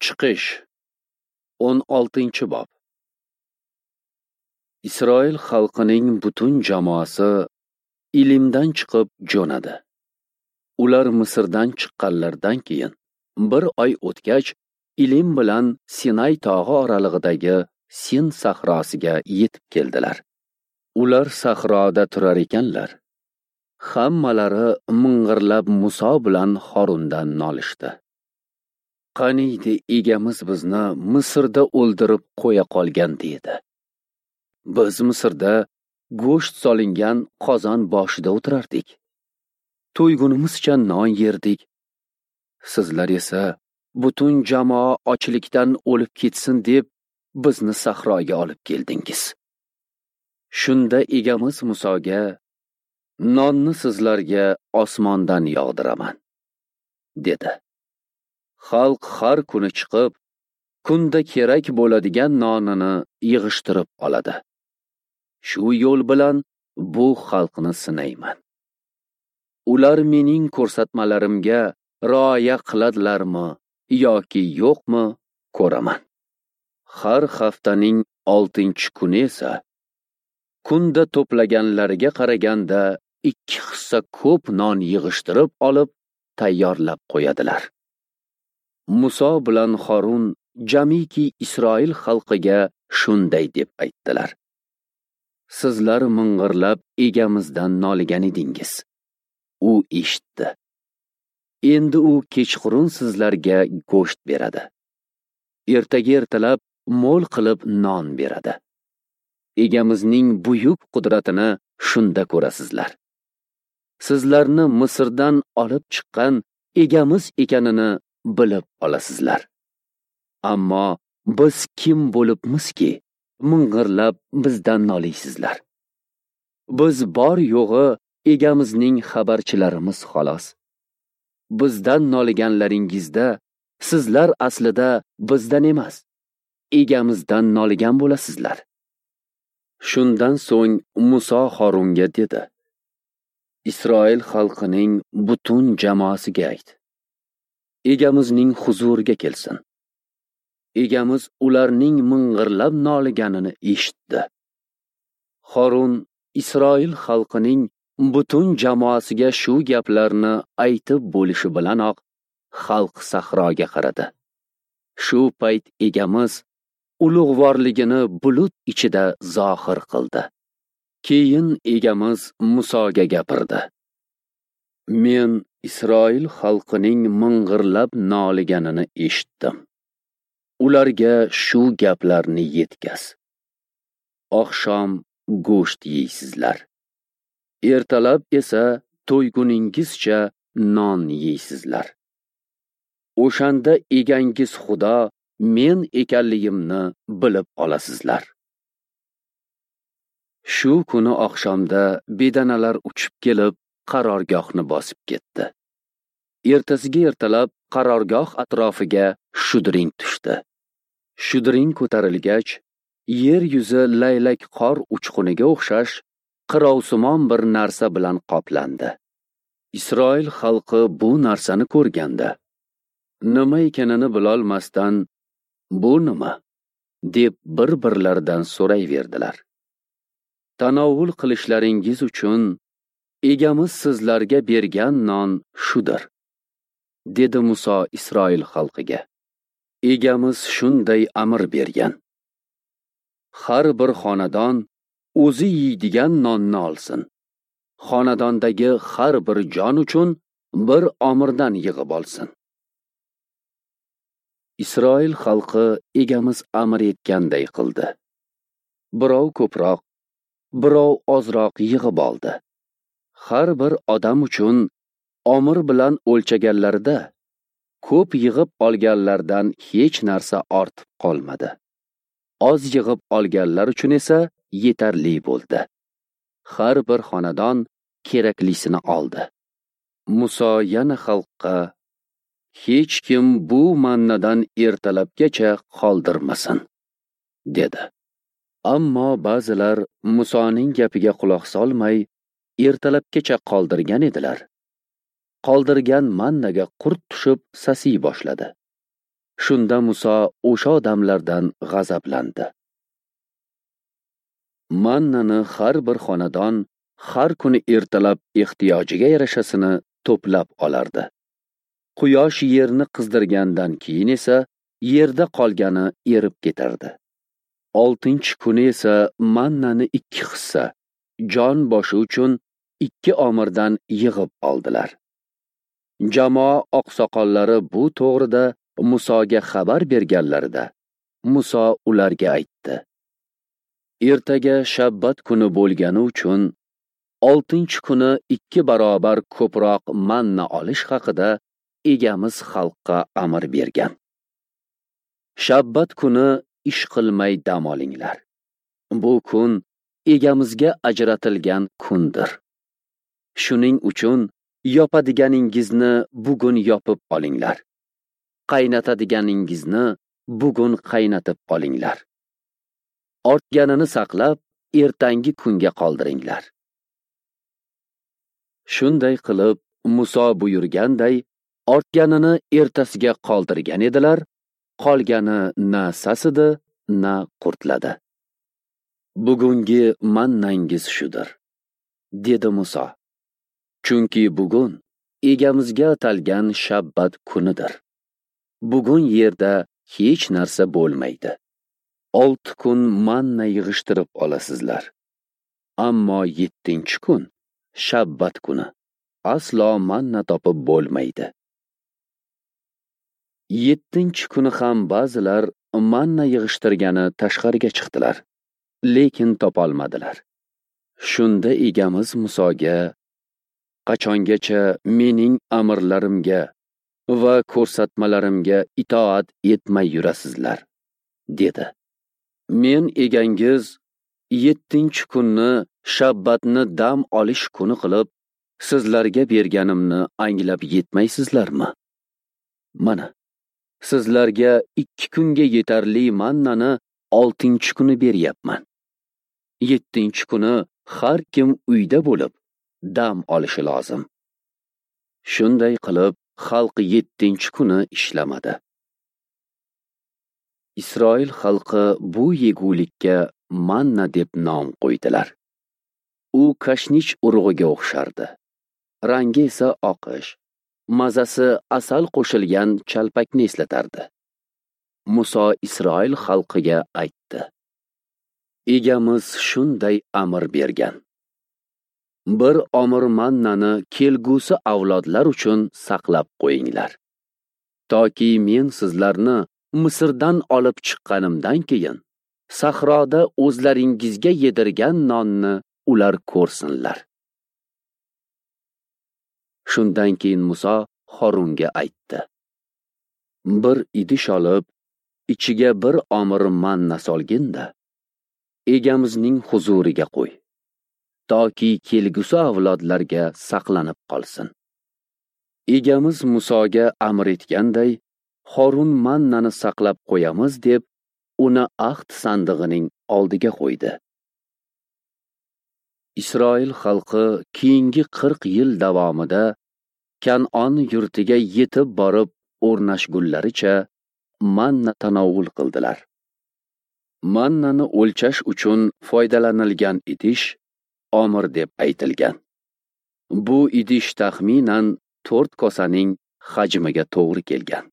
Chiqish 16-bob. Isroil xalqining butun jamoasi Ilimdan chiqib jo'nadi. Ular Misrdan chiqqanlaridan keyin bir oy o'tgach, Ilim bilan Sinay tog'i oralig'idagi Sin sahrosiga yetib keldilar. Ular sahroda turar ekanlar, hammalari ming'irlab Muso bilan Horundan nolishdi. Qaniydi egamiz bizni Misrda o'ldirib qo'ya qolgan dedi. Biz Misrda go'sht solingan qozon boshida o'tirardik. To'ygunimizcha non yerdik. Sizlar esa butun jamoa ochlikdan o'lib ketsin deb bizni sahroga olib keldingiz. Shunda egamiz Musoga: "Nonni sizlarga osmondan yog'diraman", dedi. Xalq har kuni chiqib, kunda kerak bo'ladigan nonini yig'ishtirib oladi. Shu yo'l bilan bu xalqni sinayman. Ular mening ko'rsatmalarimga rioya qiladilarmi yoki yo'qmi ko'raman. Har haftaning 6-kuni esa kunda to'plaganlariga qaraganda 2 hissa ko'p non yig'ishtirib olib tayyorlab qo'yadilar. Muso bilan Horun jamiki Isroil xalqiga shunday deb aytdilar: Sizlar ming'irlab egamizdan noligan edingiz. U eshitdi. Endi u kechqurun sizlarga go'sht beradi. Ertaga ertalab mo'l qilib non beradi. Egamizning buyuk qudratini shunda ko'rasizlar. Sizlarni Misrdan olib chiqqan egamiz ekanini bilib olasizlar. Ammo biz kim bo'libmizki, ming'irlab bizdan noliysizlar? Biz bor yo'g'i egamizning xabarchilarimiz xolos. Bizdan noliganlaringizda sizlar aslida bizdan emas, egamizdan noligan bo'lasizlar. Shundan so'ng Muso Horunga dedi: Isroil xalqining butun jamoasiga ayt. Egamizning huzuriga kelsin. Egamiz ularning ming'irlab noliganini eshitdi. Horun Isroil xalqining butun jamoasiga shu gaplarni aytib bo'lishi bilanoq xalq sahroga qaradi. Shu payt egamiz ulug'vorligini bulut ichida zohir qildi. Keyin egamiz Musoga gapirdi: Men Isroil xalqining ming'irlab noliganini eshitdim. Ularga shu gaplarni yetkaz. Oqshom go'sht yeysizlar. Ertalab esa to'yguningizcha non yeysizlar. O'shanda egangiz Xudo men ekanligimni bilib olasizlar. Shu kuni oqshomda bedanalar uchib kelib qarorgohni bosib ketdi. Ertasiga ertalab qarorgoh atrofiga shudring tushdi. Shudring ko'tarilgach, yer yuzi laylak qor uchquniga o'xshash qirovsimon bir narsa bilan qoplandi. Isroil xalqi bu narsani ko'rganda, nima ekanini bilolmasdan, "Bu nima?" deb bir-birlaridan so'rayverdilar. Tanovul qilishlaringiz uchun egamiz sizlarga bergan non shudir, dedi Muso Isroil xalqiga. Egamiz shunday amr bergan: Har bir xonadon o'zi yeydigan nonni olsin. Xonadondagi har bir jon uchun bir omirdan yig'ib olsin. Isroil xalqi egamiz amr etganday qildi. Birov ko'proq, birov ozroq yig'ib oldi. Har bir odam uchun omir bilan o'lchaganlarida ko'p yig'ib olganlardan hech narsa ortib qolmadi. Oz yig'ib olganlar uchun esa yetarli bo'ldi. Har bir xonadon keraklisini oldi. Muso yana xalqqa: "Hech kim bu mannadan ertalabgacha qoldirmasin", dedi. Ammo ba'zilar Musoning gapiga quloq solmay ertalabgacha qoldirgan edilar. Qoldirgan mannaga qurt tushib sasiy boshladi. Shunda Muso o'sha odamlardan g'azablandi. Mannani har bir xonadon har kuni ertalab ehtiyojiga yarashasini to'plab olardi. Quyosh yerni qizdirgandan keyin esa yerda qolgani erib ketardi. 6-kuni esa mannani 2 hissa, jon boshi uchun 2 omirdan yig'ib oldilar. Jamoa oqsoqollari bu to'g'rida Musoga xabar berganlarida Muso ularga aytdi: Ertaga shabbat kuni bo'lgani uchun 6-kuni 2 barobar ko'proq manna olish haqida egamiz xalqqa amr bergan. Shabbat kuni ish qilmay dam olinglar. Bu kun egamizga ajratilgan kundir. Shuning uchun yopadiganingizni bugun yopib olinglar. Qaynatadiganingizni bugun qaynatib olinglar. Ortganini saqlab, ertangi kunga qoldiringlar. Shunday qilib, Muso buyurganday, ortganini ertasiga qoldirgan edilar, qolgani na sasidi, na qurtladi. Bugungi mannangiz shudir, dedi Muso. Chunki bugun egamizga atalgan shabbat kunidir. Bugun yerda hech narsa bo'lmaydi. 6 kun manna yig'ishtirib olasizlar. Ammo 7-kun shabbat kuni. Aslo manna topib bo'lmaydi. 7-kuni ham ba'zilar manna yig'ishtirgani tashqariga chiqdilar, lekin topolmadilar. Shunda egamiz Musoga: Qachongacha mening amrlarimga va ko'rsatmalarimga itoat etmay yurasizlar, dedi. Men egangiz 7-kunni shabbatni dam olish kuni qilib sizlarga berganimni anglab yetmaysizlarmi? Mana, sizlarga 2 kunga yetarli mannani 6-kuni beryapman. 7-kuni har kim uyda bo'lib dam olishi lozim. Shunday qilib xalq 7-kuni ishlamadi. Isroil xalqi bu yegulikka manna deb nom qo'ydilar. U kashnich urug'iga o'xshardi. Rangi esa oqish, mazasi asal qo'shilgan chalpakni eslatardi. Muso Isroil xalqiga aytdi: Egamiz shunday amr bergan. Bir omir mannani kelgusi avlodlar uchun saqlab qo'yinglar. Toki men sizlarni Misrdan olib chiqqanimdan keyin sahroda o'zlaringizga yedirgan nonni ular ko'rsinlar. Shundan keyin Muso Xorunga aytdi: Bir idish olib, ichiga bir omir manna solgin-da, egamizning huzuriga qo'y, toki kelgusi avlodlarga saqlanib qolsin. Egamiz Musoga amr etganday, Xorun mannani saqlab qo'yamiz deb uni ahd sandig'ining oldiga qo'ydi. Isroil xalqi keyingi 40 yil davomida Kan'on yurtiga yetib borib o'rnashgunlaricha manna tanovul qildilar. Mannani o'lchash uchun foydalanilgan idish omir deb aytilgan. Bu idish taxminan 4 kosaning hajmiga to'g'ri kelgan.